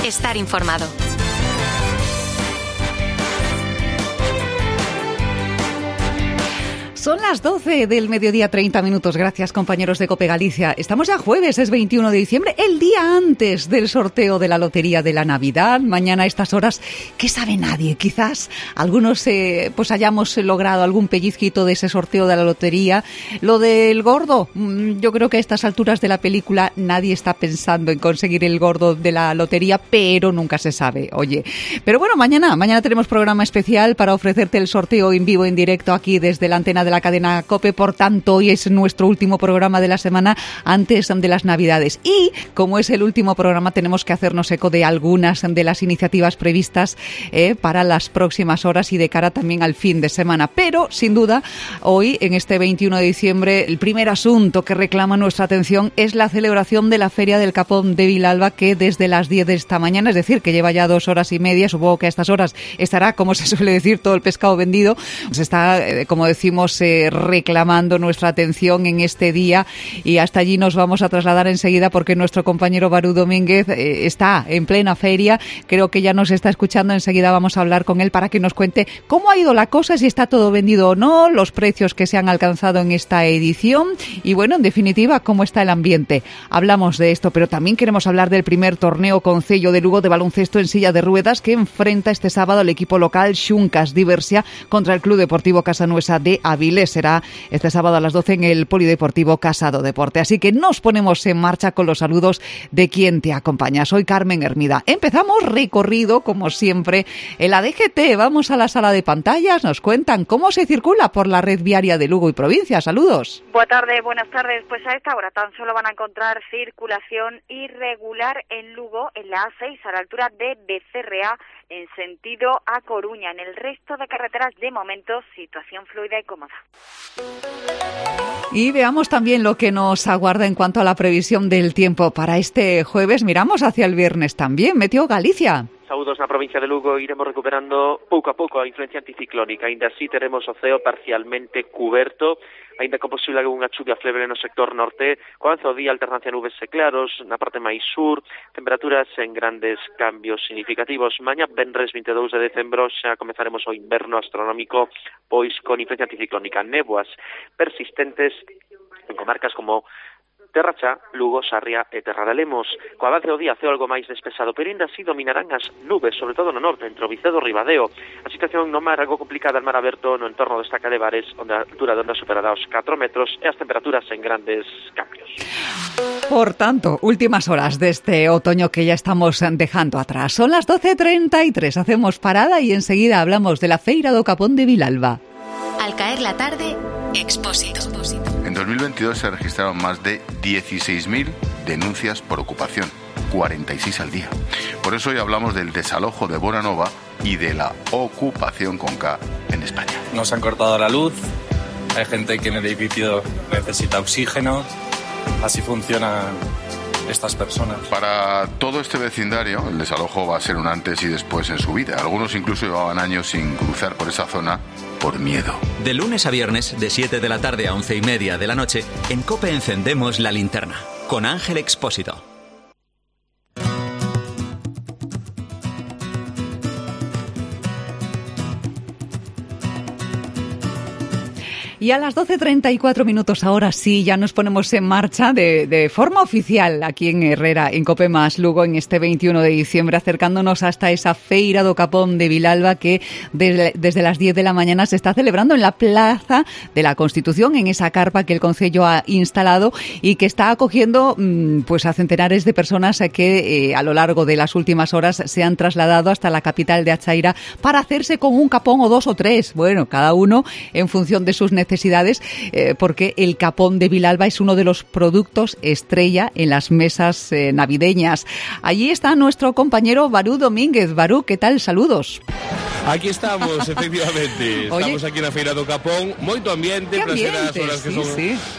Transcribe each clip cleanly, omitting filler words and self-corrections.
estar informado. Son las 12 del mediodía, 30 minutos. Gracias, compañeros de COPE Galicia. Estamos ya jueves, es 21 de diciembre, el día antes del sorteo de la lotería de la Navidad. Mañana a estas horas, ¿qué sabe nadie? Quizás algunos pues hayamos logrado algún pellizquito de ese sorteo de la lotería. Lo del gordo, yo creo que a estas alturas de la película nadie está pensando en conseguir el gordo de la lotería, pero nunca se sabe, oye. Pero bueno, mañana tenemos programa especial para ofrecerte el sorteo en vivo, en directo, aquí desde la antena de la cadena COPE. Por tanto, hoy es nuestro último programa de la semana antes de las Navidades. Y como es el último programa, tenemos que hacernos eco de algunas de las iniciativas previstas para las próximas horas y de cara también al fin de semana. Pero, sin duda, hoy, en este 21 de diciembre, el primer asunto que reclama nuestra atención es la celebración de la Feria del Capón de Vilalba, que desde las 10 de esta mañana, es decir, que lleva ya 2 horas y media, supongo que a estas horas estará, como se suele decir, todo el pescado vendido. Se está, como decimos, reclamando nuestra atención en este día, y hasta allí nos vamos a trasladar enseguida porque nuestro compañero Barú Domínguez está en plena feria, creo que ya nos está escuchando. Enseguida vamos a hablar con él para que nos cuente cómo ha ido la cosa, si está todo vendido o no, los precios que se han alcanzado en esta edición y, bueno, en definitiva, cómo está el ambiente. Hablamos de esto, pero también queremos hablar del primer torneo concello de Lugo de baloncesto en silla de ruedas que enfrenta este sábado al equipo local Xuncas Diversia contra el Club Deportivo Casanuesa de Avilés. Será este sábado a las 12 en el Polideportivo Casado Deporte. Así que nos ponemos en marcha con los saludos de quien te acompaña. Soy Carmen Hermida. Empezamos recorrido, como siempre, en la DGT. Vamos a la sala de pantallas. Nos cuentan cómo se circula por la red viaria de Lugo y provincia. Saludos. Buenas tardes. Pues a esta hora tan solo van a encontrar circulación irregular en Lugo, en la A6, a la altura de Becerrea, en sentido a Coruña. En el resto de carreteras, de momento, situación fluida y cómoda. Y veamos también lo que nos aguarda en cuanto a la previsión del tiempo para este jueves. Miramos hacia el viernes también. Meteo Galicia. Saúdos na provincia de Lugo, iremos recuperando pouco a pouco a influencia anticiclónica. Ainda así teremos o ceo parcialmente cuberto, ainda con posible algunha chuvia flebre no sector norte, co avance do día alternancia nubes e claros, na parte máis sur, temperaturas en grandes cambios significativos. Mañá, venres 22 de decembro, xa comezaremos o inverno astronómico, pois con influencia anticiclónica, néboas persistentes en comarcas como Terra Chá, Lugo, Sarria e Terra de Lemos. Co avance do día ceo algo máis despexado, pero ainda así dominarán as nubes, sobre todo no norte, entre o Vicedo e Ribadeo. A situación no mar algo complicada, el mar aberto no entorno desta Calle de Bares, onde a altura de onda superará os 4 metros e as temperaturas en grandes cambios. Por tanto, últimas horas de este otoño que ya estamos dejando atrás. Son las 12:33, hacemos parada y enseguida hablamos de la Feira do Capón de Vilalba. Al caer la tarde, Expósito. En 2022 se registraron más de 16.000 denuncias por ocupación, 46 al día. Por eso hoy hablamos del desalojo de Bonanova y de la ocupación con K en España. Nos han cortado la luz, hay gente que en el edificio necesita oxígeno, así funcionan estas personas. Para todo este vecindario, el desalojo va a ser un antes y después en su vida. Algunos incluso llevaban años sin cruzar por esa zona por miedo. De lunes a viernes, de 7 de la tarde a 11:30 de la noche, en COPE encendemos la linterna, con Ángel Expósito. Y a las 12:34 minutos, ahora sí, ya nos ponemos en marcha de forma oficial aquí en Herrera, en COPE Más Lugo, en este 21 de diciembre, acercándonos hasta esa Feira do Capón de Vilalba que desde las 10 de la mañana se está celebrando en la Plaza de la Constitución, en esa carpa que el Concello ha instalado y que está acogiendo pues a centenares de personas que a lo largo de las últimas horas se han trasladado hasta la capital de Achaira para hacerse con un capón o 2 o 3, bueno, cada uno en función de sus necesidades, porque el capón de Vilalba es uno de los productos estrella en las mesas navideñas. Allí está nuestro compañero Barú Domínguez. Barú, ¿qué tal? Saludos. Aquí estamos, efectivamente. Estamos aquí na Feira do Capón. Moito ambiente para ser as horas que son.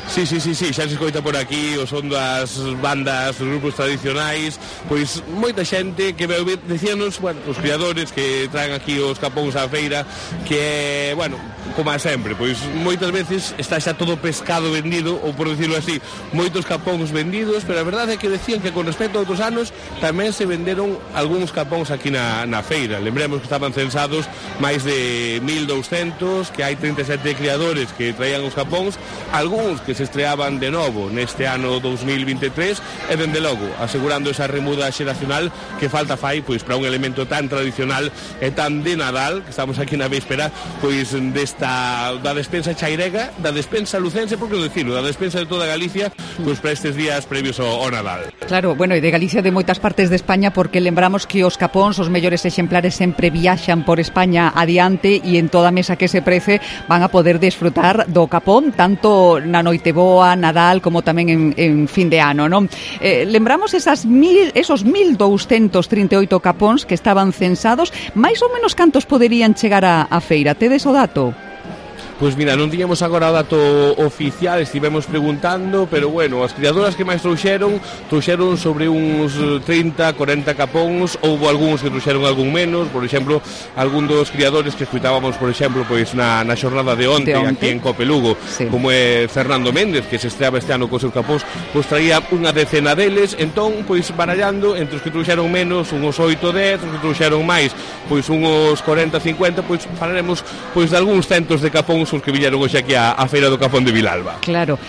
Sí, xa se escoita por aquí o son das bandas, dos grupos tradicionais. Pois moita xente que decíanos, bueno, os criadores que traen aquí os capóns á feira, que, bueno, como sempre, pois moitas veces está xa todo pescado vendido, ou por decirlo así, moitos capóns vendidos, pero a verdade é que decían que con respecto a outros anos tamén se venderon algúns capóns aquí na feira. Lembremos que estaban censados máis de 1.200, que hai 37 criadores que traían os capóns, algúns que se estreaban de novo neste ano 2023, e dende logo asegurando esa remuda xeracional que falta fai pois para un elemento tan tradicional e tan de Nadal, que estamos aquí na véspera pois da despensa chairega, da despensa lucense, por que decirlo, da despensa de toda Galicia, pois para estes días previos ao Nadal. Claro, bueno, e de Galicia, de moitas partes de España, porque lembramos que os capóns, os mellores exemplares sempre viaxan por España adiante, e en toda mesa que se prece van a poder desfrutar do capón tanto na Noiteboa, Nadal, como tamén en fin de ano, non? Lembramos esos 1.238 capóns que estaban censados, máis ou menos cantos poderían chegar á feira? Tedes o dato? Pois mira, non tiñamos agora o dato oficial, estivemos preguntando, pero bueno, as criadoras que máis trouxeron sobre uns 30, 40 capóns, houve algúns que trouxeron algún menos, por exemplo, algún dos criadores que escutábamos, por exemplo, pois na xornada de onte aquí en Cope Lugo, como é Fernando Méndez, que se estreaba este ano cos seus capóns, pois traía unha decena deles, entón, pois barallando entre os que trouxeron menos, uns 8, 10, os que trouxeron máis, pois uns 40, 50, pois falaremos pois de algúns centos de capóns os que viñeron hoxe aquí á Feira do Capón de Vilalba. Claro,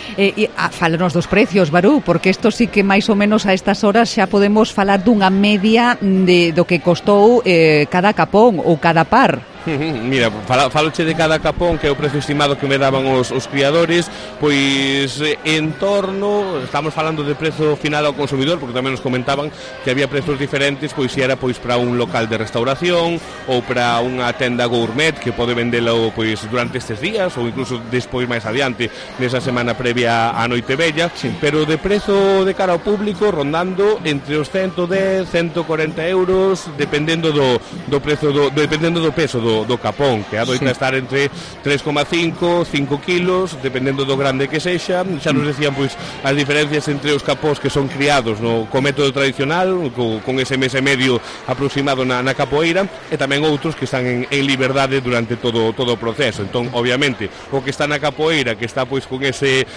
fálanos dos precios, Barú, porque isto sí que máis ou menos a estas horas xa podemos falar dunha media do que costou cada capón ou cada par. Mira, faloche de cada capón, que é o precio estimado que me daban os criadores, pois en torno, estamos falando de prezo final ao consumidor, porque tamén nos comentaban que había prezos diferentes, pois se era pois para un local de restauración ou para unha tenda gourmet que pode vendelo pois durante estes días ou incluso despois máis adiante nesa semana previa á Noite Bella, pero de prezo de cara ao público rondando entre os 110, 140 euros, dependendo do prezo dependendo do peso do capón, que adoita estar entre 3,5, 5 kilos, dependendo do grande que sexa. Xa nos decían pois as diferencias entre os capós que son criados co método tradicional, con ese mes e medio aproximado na capoeira, e tamén outros que están en liberdade durante todo o proceso. Entón, obviamente, o que está na capoeira, que está pois con ese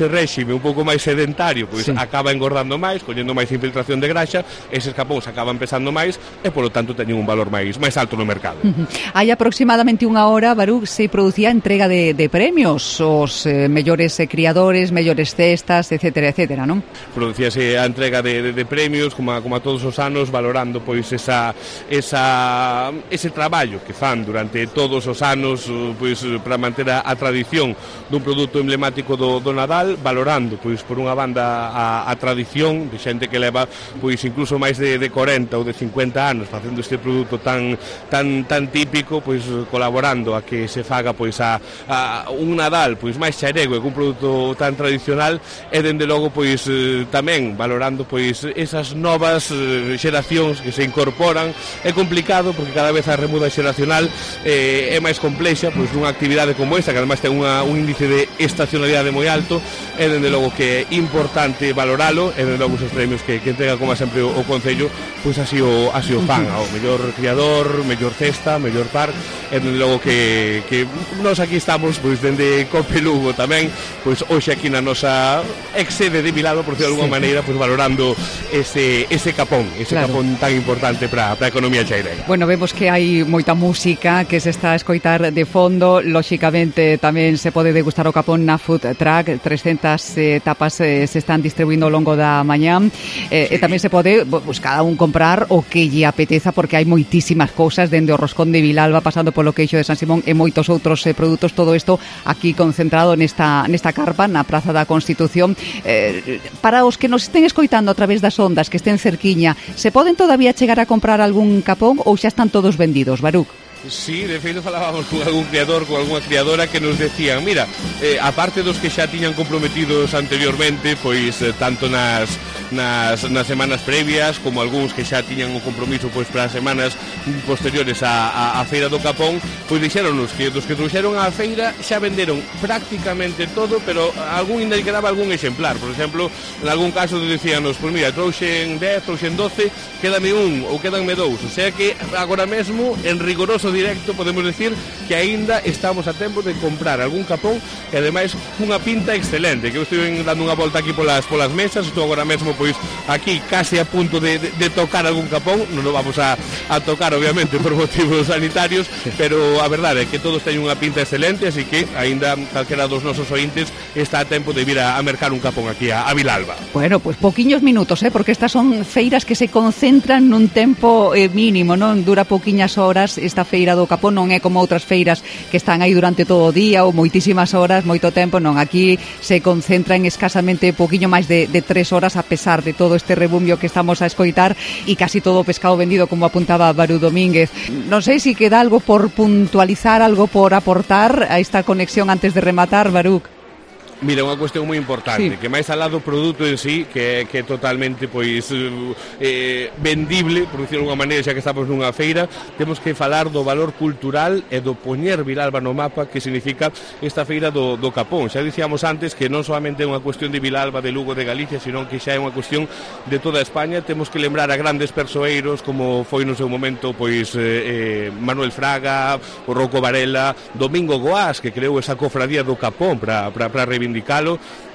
réxime un pouco máis sedentario, pois acaba engordando máis, collendo máis infiltración de graxa, eses capóns acaban pesando máis e, polo tanto, teñen un valor máis alto no mercado. Hai aproximadamente unha hora, Barú, se producía a entrega de premios, os mellores criadores, mellores cestas, etcétera, etcétera, non? Producíase a entrega de premios, como a todos os anos, valorando pois ese traballo que fan durante todos os anos pois para manter a tradición dun produto emblemático do Nadal, valorando pois por unha banda a tradición de xente que leva pois incluso máis de 40 ou de 50 anos facendo este produto tan típico, pois colaborando a que se faga pois a un Nadal pois máis xarego e un produto tan tradicional, e dende logo pois tamén valorando pois esas novas xeracións que se incorporan. É complicado porque cada vez a remuda xeracional é máis complexa, pois nunha actividade como esta, que además ten un índice de estacionalidade moi alto, e dende logo que é importante valoralo, e dende logo os premios que entrega como sempre o Concello, pois así o fan, ao mellor criador, mellor cesta, mellor par, e dende logo que nós aquí estamos pois dende Cope Lugo tamén, pois hoxe aquí na nosa ex-sede de Vilalba, por decirlo de alguma maneira, pois valorando ese capón tan importante para a economía chairega. Bueno, vemos que hai moita música que se está a escoitar de fondo, lóxicamente tamén se pode degustar o capón na food truck, 300 tapas se están distribuindo ao longo da mañá, e tamén se pode cada un comprar o que lle apeteza, porque hai moitísimas cousas, dende o roscón de Vilalba, pasando polo queixo de San Simón e moitos outros produtos, todo isto aquí concentrado nesta carpa na Praza da Constitución. Para os que nos estén escoitando a través das ondas, que estén cerquiña, se poden todavía chegar a comprar algún capón ou xa están todos vendidos, Baruc? Sí, de feito falábamos con algún criador, con algunha criadora que nos decían, mira, aparte dos que xa tiñan comprometidos anteriormente, pois tanto nas semanas previas como algúns que xa tiñan un compromiso pois para as semanas posteriores á Feira do Capón, pois dixéronnos que dos que trouxeron á feira xa venderon prácticamente todo, pero algún ainda quedaba algún exemplar. Por exemplo, en algún caso decíanos, pois mira, trouxen 10, trouxen 12, quédame un ou quédanme dous. O sea que agora mesmo, en rigoroso directo, podemos decir que aínda estamos a tempo de comprar algún capón e ademais cunha pinta excelente, que eu estou dando unha volta aquí polas mesas, estou agora mesmo pois aquí case a punto de tocar algún capón, non o vamos a tocar obviamente por motivos sanitarios, pero a verdade é que todos teñen unha pinta excelente, así que aínda calquera dos nosos ointes está a tempo de vir a mercar un capón aquí a Vilalba. Bueno, pois poquiños minutos, porque estas son feiras que se concentran nun tempo mínimo, non dura poquiñas horas. Esta feira do Capón non é como outras feiras que están aí durante todo o día ou moitísimas horas, moito tempo, non, aquí se concentra en escasamente poquiño máis de 3 horas, a pesar de todo este rebumbio que estamos a escoitar e casi todo o pescado vendido, como apuntaba Barú Domínguez. Non sei se queda algo por puntualizar, algo por aportar a esta conexión antes de rematar, Barú. Mira, unha cuestión moi importante, que máis alá do produto en sí, que é totalmente pois vendible, por dicirlo de alguma maneira, xa que estamos nunha feira, temos que falar do valor cultural e do poñer Vilalba no mapa, que significa esta feira do Capón. Xa dicíamos antes que non solamente é unha cuestión de Vilalba, de Lugo, de Galicia, sino que xa é unha cuestión de toda España. Temos que lembrar a grandes persoeiros, como foi no seu momento pois Manuel Fraga, o Rouco Varela, Domingo Goás, que creou esa cofradía do Capón para reivindicalo.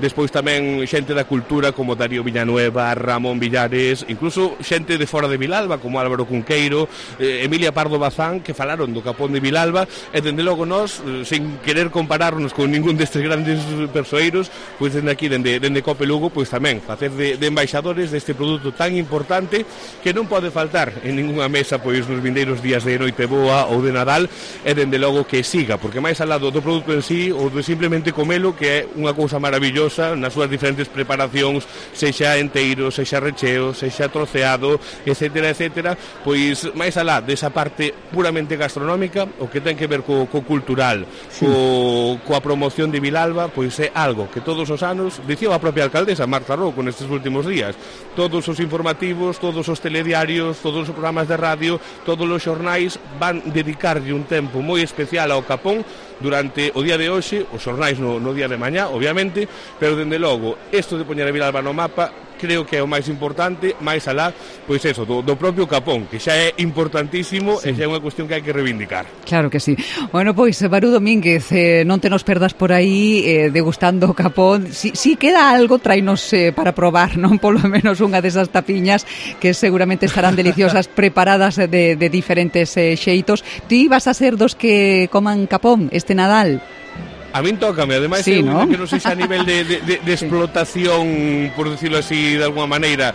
Despois tamén xente da cultura como Darío Villanueva, Ramón Villares, incluso xente de fora de Vilalba como Álvaro Cunqueiro, Emilia Pardo Bazán, que falaron do Capón de Vilalba, e dende logo nós, sin querer compararnos con ningún destes grandes persoeiros, pois dende aquí, dende Cope Lugo, pois tamén facer de embaixadores deste produto tan importante que non pode faltar en ninguna mesa pois nos vindeiros días de Noiteboa ou de Nadal, e dende logo que siga, porque máis al lado do produto en sí ou de simplemente comelo, que é unha cousa maravillosa nas súas diferentes preparacións, sexa enteiro, sexa recheo, sexa troceado, etcétera, etcétera, pois máis alá desa parte puramente gastronómica, o que ten que ver co cultural, sí, coa promoción de Vilalba, pois é algo que todos os anos, dicía a propia alcaldesa Marta Rouco nestes últimos días, todos os informativos, todos os telediarios, todos os programas de radio, todos os xornais van dedicarlle un tempo moi especial ao Capón durante o día de hoxe, os xornais no día de mañá, obviamente, pero dende logo, isto de poñer a Vilalba no mapa, creo que é o máis importante, máis alá, pois eso, do propio Capón, que xa é importantísimo, sí, e xa é unha cuestión que hai que reivindicar. Claro que sí. Bueno, pois, Barú Domínguez, non te nos perdas por aí degustando o Capón. Si queda algo, tráenos para probar, non? Polo menos unha desas tapiñas que seguramente estarán deliciosas, preparadas de diferentes xeitos. Ti vas a ser dos que coman Capón este Nadal? A min tócame, ademais, sí, ¿no? Que non sei a nivel de explotación, por decirlo así, de alguma maneira,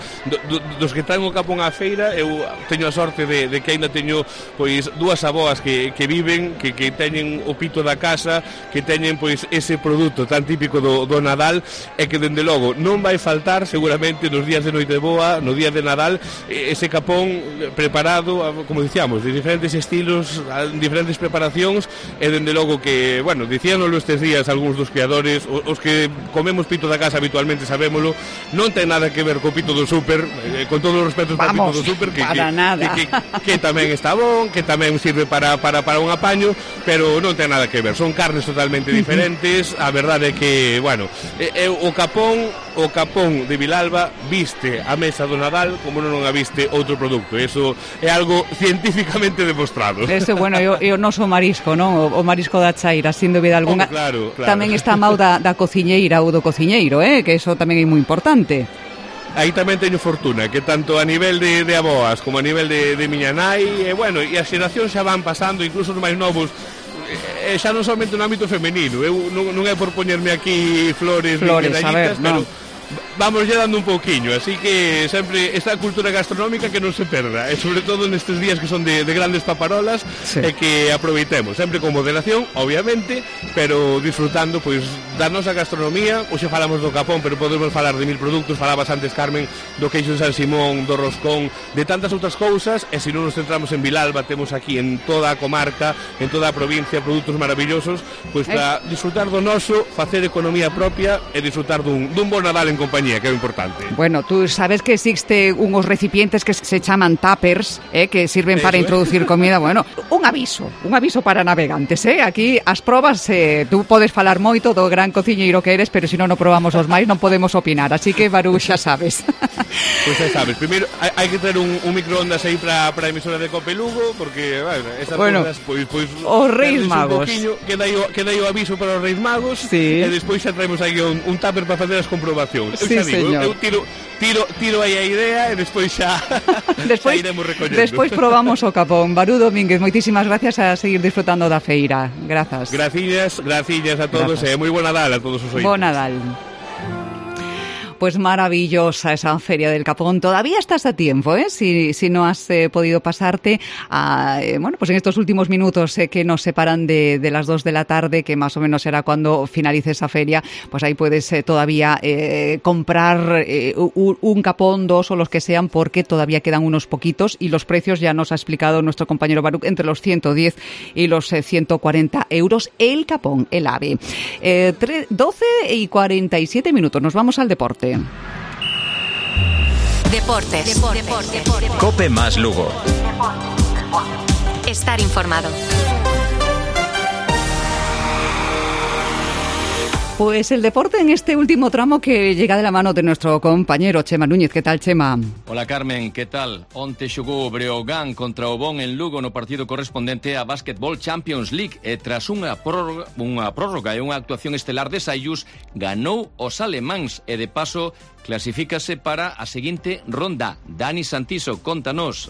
dos que traen o Capón á feira, eu teño a sorte de que ainda teño pois dúas aboas que viven, que teñen o pito da casa, que teñen pois ese produto tan típico do Nadal, e que dende logo non vai faltar seguramente nos días de Noiteboa, no día de Nadal, ese Capón preparado, como dicíamos, de diferentes estilos, diferentes preparacións, e dende logo que, bueno, dicíanolo estes días algúns dos criadores, os que comemos pito da casa habitualmente sabémolo, non ten nada que ver co pito do súper, con todos os respetos para o pito do súper, que tamén está bon, que tamén sirve para un apaño, pero non ten nada que ver, son carnes totalmente diferentes. A verdade é que, bueno, o Capón de Vilalba viste a mesa do Nadal como non a viste outro produto, eso é algo científicamente demostrado. Ese, bueno, eu non sou marisco, non? O marisco da chaira, sin dúbida alguna. Claro. Tamén está a mau da cociñeira ou do cociñeiro, que eso tamén é moi importante. Aí tamén teño fortuna, que tanto a nivel de aboas como a nivel de miña nai, bueno, e as xeracións xa van pasando, incluso os máis novos, xa non somente no ámbito femenino. Eu non é por poñerme aquí flores a ver, pero vamos lle dando un pouquiño, así que sempre esta cultura gastronómica que non se perda, e sobre todo nestes días que son de grandes paparolas, sí. E que aproveitemos, sempre con moderación, obviamente, pero disfrutando pois da nosa gastronomía. Hoxe falamos do capón, pero podemos falar de 1000 produtos. Falabas antes, Carmen, do queixo de San Simón, do roscón, de tantas outras cousas, e se non nos centramos en Vilalba, temos aquí en toda a comarca, en toda a provincia, produtos maravillosos, pois para disfrutar do noso, facer economía propia e disfrutar dun bo Nadal en compañía, que é o importante. Bueno, tú sabes que existe unos recipientes que se chaman tuppers, que sirven para introducir comida. Bueno, un aviso para navegantes, aquí as probas, tú podes falar moito do gran cociñeiro que eres, pero se non probamos os máis non podemos opinar, así que Barú, xa sabes. Pois xa sabes, primeiro hai que ter un microondas aí para a emisora de Cope Lugo, porque esas cousas, pois os Reis Magos, queda aí o aviso para os Reis Magos, sí. E despois xa traemos aí un tupper para facer as comprobacións. Sí, señor. Eu tiro aí a idea e despois xa iremos recollendo. Despois probamos o capón. Barú Domínguez, moitísimas gracias, a seguir disfrutando da feira. Grazas. Gracias a todos, e moi bo Nadal a todos os ointes. Bo Nadal. Pues maravillosa esa feria del Capón. Todavía estás a tiempo, si no has podido pasarte pues en estos últimos minutos que nos separan de las 2 de la tarde, que más o menos será cuando finalice esa feria, pues ahí puedes todavía comprar un capón, 2 o los que sean, porque todavía quedan unos poquitos y los precios ya nos ha explicado nuestro compañero Baruch, entre los 110 y los 140 euros el capón, el ave. 12:47 minutos, nos vamos al deporte. Deportes. Cope más Lugo. Estar informado. Pues el deporte en este último tramo que llega de la mano de nuestro compañero Chema Núñez. ¿Qué tal, Chema? Hola, Carmen, ¿qué tal? Onte xogou o Breogán contra o Bon en Lugo no partido correspondente a Basketball Champions League e tras unha prórroga e unha actuación estelar de Sayus, ganou os alemáns e de paso clasifícase para a seguinte ronda. Dani Santiso, contanos.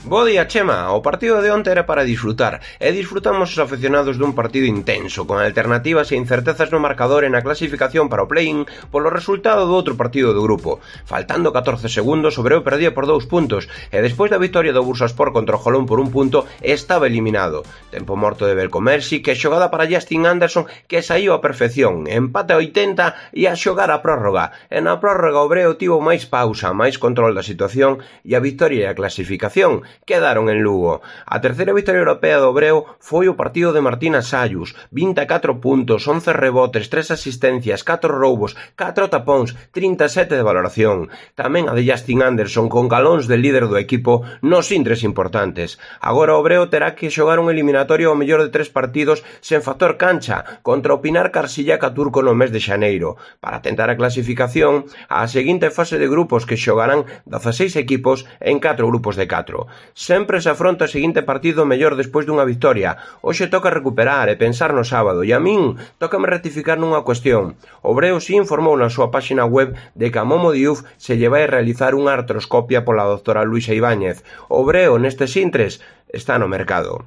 Bo día, Chema. O partido de onte era para disfrutar, e disfrutamos os aficionados dun partido intenso, con alternativas e incertezas no marcador e na clasificación para o play-in polo resultado do outro partido do grupo. Faltando 14 segundos, o Breo perdía por 2 puntos, e despois da vitória do Bursaspor contra o Jolón por 1 punto, estaba eliminado. Tempo morto de Belcomersi, que xogada para Justin Anderson, que saíu a perfección, empate a 80 e a xogar a prórroga. E na prórroga o Breo tivo máis pausa, máis control da situación, e a vitória e a clasificación quedaron en Lugo. A terceira vitória europea do Breo foi o partido de Martina Sayus, 24 puntos, 11 rebotes, 3 asistencias, 4 roubos, 4 tapóns, 37 de valoración. Tamén a de Justin Anderson con galóns de líder do equipo nos intres importantes. Agora o Breo terá que xogar un eliminatorio ao mellor de 3 partidos sen factor cancha contra o Pinar Carsillaca turco no mes de xaneiro. Para tentar a clasificación, a seguinte fase de grupos que xogarán 16 equipos en 4 grupos de 4. Sempre se afronta o seguinte partido mellor despois dunha victoria. Hoxe toca recuperar e pensar no sábado, e a min tócame rectificar nunha cuestión. O Breo si informou na súa páxina web de que a Momo Diouf se lle vai realizar unha artroscopia pola doutora Luisa Ibáñez. O Breo nestes intres está no mercado.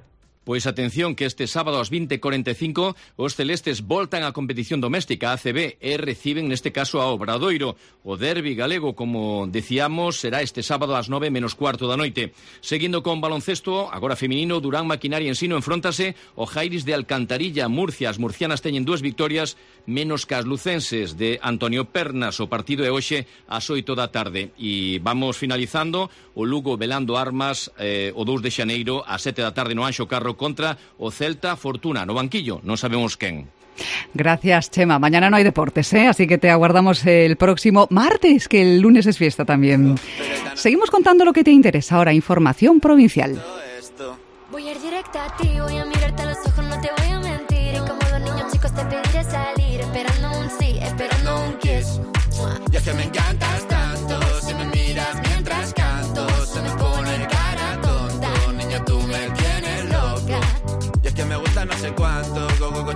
Pois atención que este sábado ás 20:45 os celestes voltan á competición doméstica ACB e reciben neste caso a Obradoiro. O derbi galego, como decíamos, será este sábado ás 9:15 da noite. Seguindo con baloncesto, agora feminino, Durán Maquinaria Ensino enfróntase o Jairis de Alcantarilla, Murcia. As murcianas teñen 2 victorias menos que as lucenses de Antonio Pernas. O partido é hoxe ás 8 da tarde. E vamos finalizando o Lugo velando armas o 2 de xaneiro ás 7 da tarde no Anxo Carro contra o Celta Fortuna, no banquillo, non sabemos quen. Gracias, Chema. Mañana no hay deportes, así que te aguardamos el próximo martes, que el lunes es fiesta también. Seguimos contando lo que te interesa ahora, información provincial. Voy a ir directa a ti, voy a mirarte a los ojos, no te voy a mentir. Y como los niños chicos te pediré salir, esperando un sí, esperando un kiss. Y es que me encantas tanto, si me miras mientras canto, se me pone cara tonta. Niña, tú me tienes loca. Y es que me gusta no sé cuánto, go, go, go,